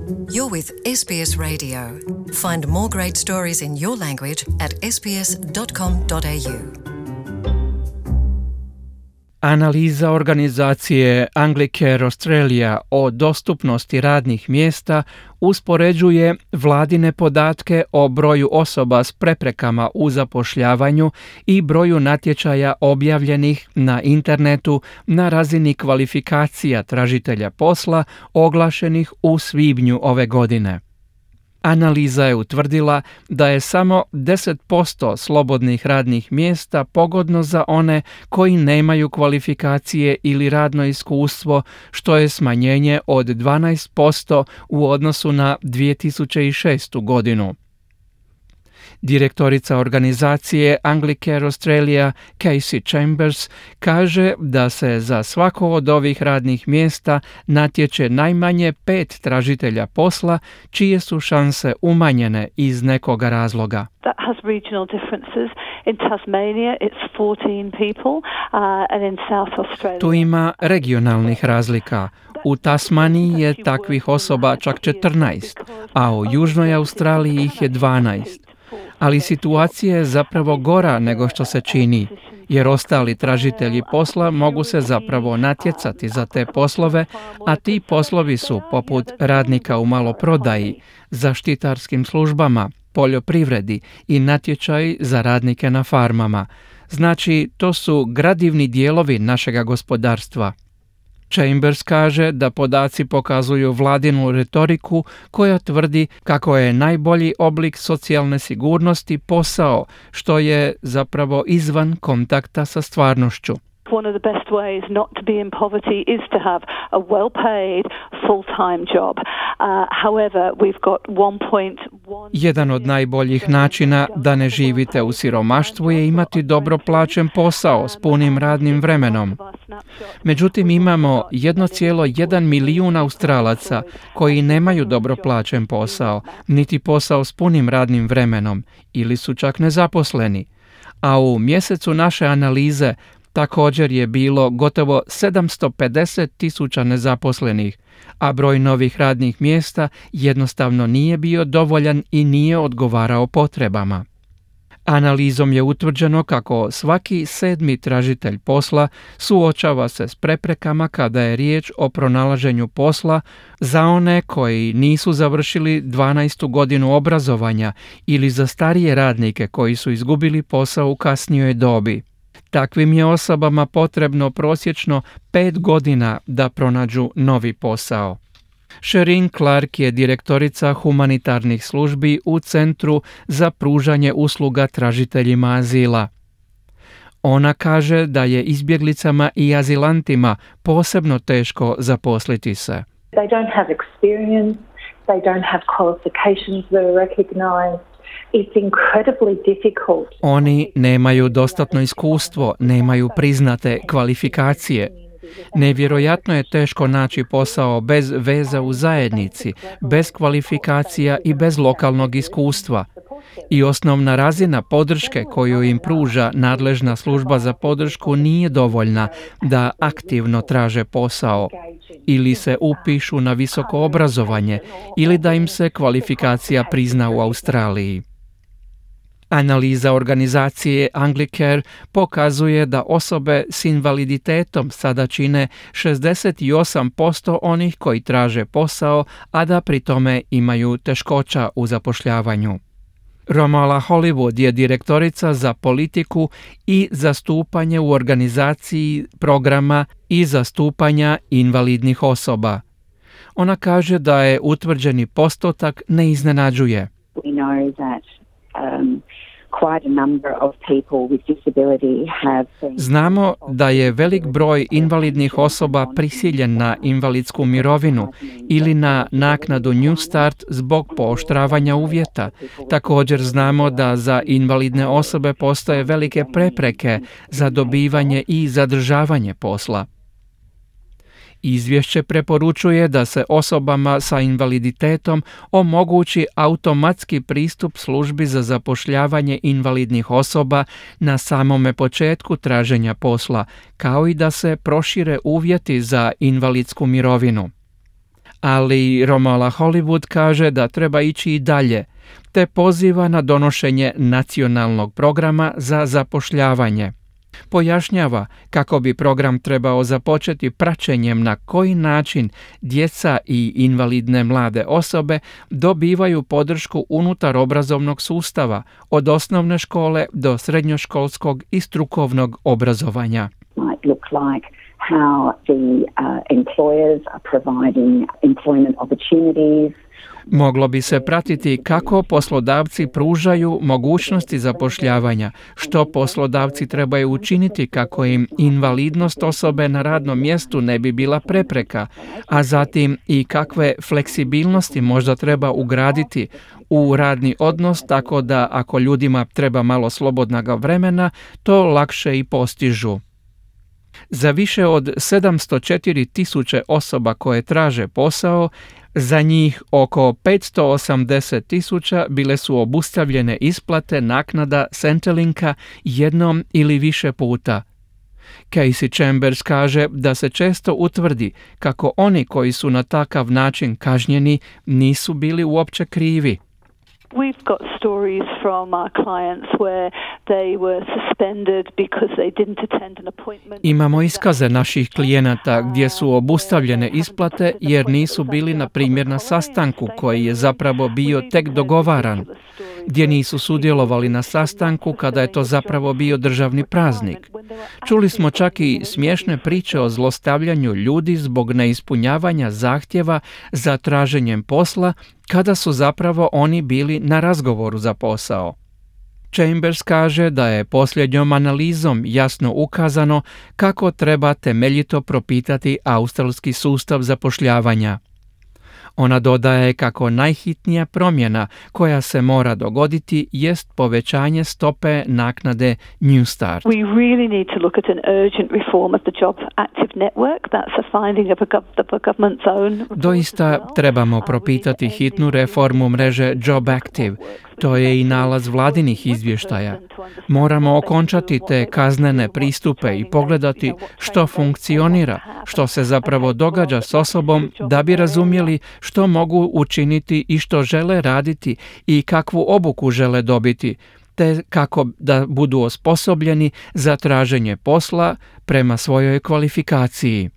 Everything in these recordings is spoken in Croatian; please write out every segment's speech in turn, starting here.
You're with SBS Radio. Find more great stories in your language at sbs.com.au. Analiza organizacije Anglicare Australia o dostupnosti radnih mjesta uspoređuje vladine podatke o broju osoba s preprekama u zapošljavanju i broju natječaja objavljenih na internetu na razini kvalifikacija tražitelja posla oglašenih u svibnju ove godine. Analiza je utvrdila da je samo 10% slobodnih radnih mjesta pogodno za one koji nemaju kvalifikacije ili radno iskustvo, što je smanjenje od 12% u odnosu na 2006. godinu. Direktorica organizacije Anglicare Australia, Casey Chambers, kaže da se za svako od ovih radnih mjesta natječe najmanje 5 tražitelja posla, čije su šanse umanjene iz nekoga razloga. That has regional differences. In Tasmania it's 14 people and in South Australia. Tu ima regionalnih razlika. U Tasmaniji je takvih osoba čak 14, a u Južnoj Australiji ih je 12. Ali situacija je zapravo gora nego što se čini, jer ostali tražitelji posla mogu se zapravo natjecati za te poslove, a ti poslovi su poput radnika u maloprodaji, zaštitarskim službama, poljoprivredi i natječaji za radnike na farmama. Znači, to su gradivni dijelovi našega gospodarstva. Chambers kaže da podaci pokazuju vladinu retoriku koja tvrdi kako je najbolji oblik socijalne sigurnosti posao, što je zapravo izvan kontakta sa stvarnošću. One of the best ways not to be in poverty is to have a well-paid, full-time job. However, we've got 1.1... Jedan od najboljih načina da ne živite u siromaštvu je imati dobro plaćen posao s punim radnim vremenom. Međutim, imamo 1,1 milijun Australaca koji nemaju dobro plaćen posao, niti posao s punim radnim vremenom ili su čak nezaposleni. A u mjesecu naše analize također je bilo gotovo 750,000 nezaposlenih, a broj novih radnih mjesta jednostavno nije bio dovoljan i nije odgovarao potrebama. Analizom je utvrđeno kako svaki 7. tražitelj posla suočava se s preprekama kada je riječ o pronalaženju posla za one koji nisu završili 12. godinu obrazovanja ili za starije radnike koji su izgubili posao u kasnijoj dobi. Takvim je osobama potrebno prosječno 5 godina da pronađu novi posao. Sherin Clark je direktorica humanitarnih službi u Centru za pružanje usluga tražiteljima azila. Ona kaže da je izbjeglicama i azilantima posebno teško zaposliti se. They don't have experience, they don't have qualifications that are recognized. It's incredibly difficult. Oni nemaju dostatno iskustvo, nemaju priznate kvalifikacije. Nevjerojatno je teško naći posao bez veza u zajednici, bez kvalifikacija i bez lokalnog iskustva. I osnovna razina podrške koju im pruža nadležna služba za podršku nije dovoljna da aktivno traže posao ili se upišu na visoko obrazovanje ili da im se kvalifikacija prizna u Australiji. Analiza organizacije Anglicare pokazuje da osobe s invaliditetom sada čine 68% onih koji traže posao, a da pri tome imaju teškoća u zapošljavanju. Romala Hollywood je direktorica za politiku i zastupanje u organizaciji programa i zastupanja invalidnih osoba. Ona kaže da je utvrđeni postotak ne iznenađuje. We know that quite a number of people with disability have been... Znamo da je velik broj invalidnih osoba prisiljen na invalidsku mirovinu ili na naknadu New Start zbog pooštravanja uvjeta. Također znamo da za invalidne osobe postoje velike prepreke za dobivanje i zadržavanje posla. Izvješće preporučuje da se osobama sa invaliditetom omogući automatski pristup službi za zapošljavanje invalidnih osoba na samome početku traženja posla, kao i da se prošire uvjeti za invalidsku mirovinu. Ali Romola Hollywood kaže da treba ići i dalje, te poziva na donošenje nacionalnog programa za zapošljavanje. Pojašnjava kako bi program trebao započeti praćenjem na koji način djeca i invalidne mlade osobe dobivaju podršku unutar obrazovnog sustava, od osnovne škole do srednjoškolskog i strukovnog obrazovanja. How the employers are providing employment opportunities. Moglo bi se pratiti kako poslodavci pružaju mogućnosti zapošljavanja, što poslodavci trebaju učiniti kako im invalidnost osobe na radnom mjestu ne bi bila prepreka, a zatim i kakve fleksibilnosti možda treba ugraditi u radni odnos tako da ako ljudima treba malo slobodnog vremena, to lakše i postižu. Za više od 704.000 osoba koje traže posao, za njih oko 580.000 bile su obustavljene isplate naknada Centrelinka jednom ili više puta. Casey Chambers kaže da se često utvrdi kako oni koji su na takav način kažnjeni nisu bili uopće krivi. We've got stories from our clients where they were suspended because they didn't attend an appointment. Imamo iskaze naših klijenata gdje su obustavljene isplate jer nisu bili, na primjer, na sastanku koji je zapravo bio tek dogovaran, gdje nisu sudjelovali na sastanku kada je to zapravo bio državni praznik. Čuli smo čak i smiješne priče o zlostavljanju ljudi zbog neispunjavanja zahtjeva za traženjem posla kada su zapravo oni bili na razgovoru za posao. Chambers kaže da je posljednjom analizom jasno ukazano kako treba temeljito propitati australski sustav zapošljavanja. Ona dodaje kako najhitnija promjena koja se mora dogoditi jest povećanje stope naknade New Start. We really need to look at an urgent reform of the Job Active Network. That's a finding of the government's own. Doista trebamo propitati hitnu reformu mreže Job Active. To je i nalaz vladinih izvještaja. Moramo okončati te kaznene pristupe i pogledati što funkcionira, što se zapravo događa s osobom da bi razumjeli što mogu učiniti i što žele raditi i kakvu obuku žele dobiti, te kako da budu osposobljeni za traženje posla prema svojoj kvalifikaciji.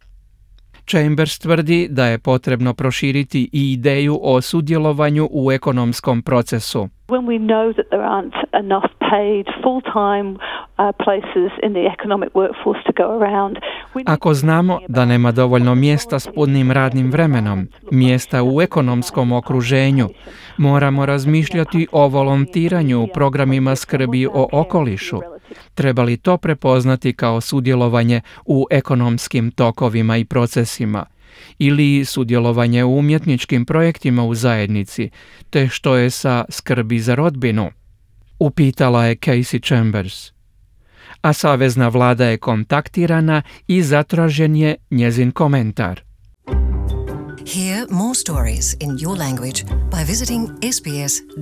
Chambers tvrdi da je potrebno proširiti i ideju o sudjelovanju u ekonomskom procesu. When we know that there aren't enough paid full-time places in the economic workforce to go around. Ako znamo da nema dovoljno mjesta s punim radnim vremenom, mjesta u ekonomskom okruženju, moramo razmišljati o volontiranju u programima skrbi o okolišu. Treba li to prepoznati kao sudjelovanje u ekonomskim tokovima i procesima? Ili sudjelovanje u umjetničkim projektima u zajednici, te što je sa skrbi za rodbinu? Upitala je Casey Chambers. A savezna vlada je kontaktirana i zatražen je njezin komentar. Hear more stories in your language by visiting sbs.com.au.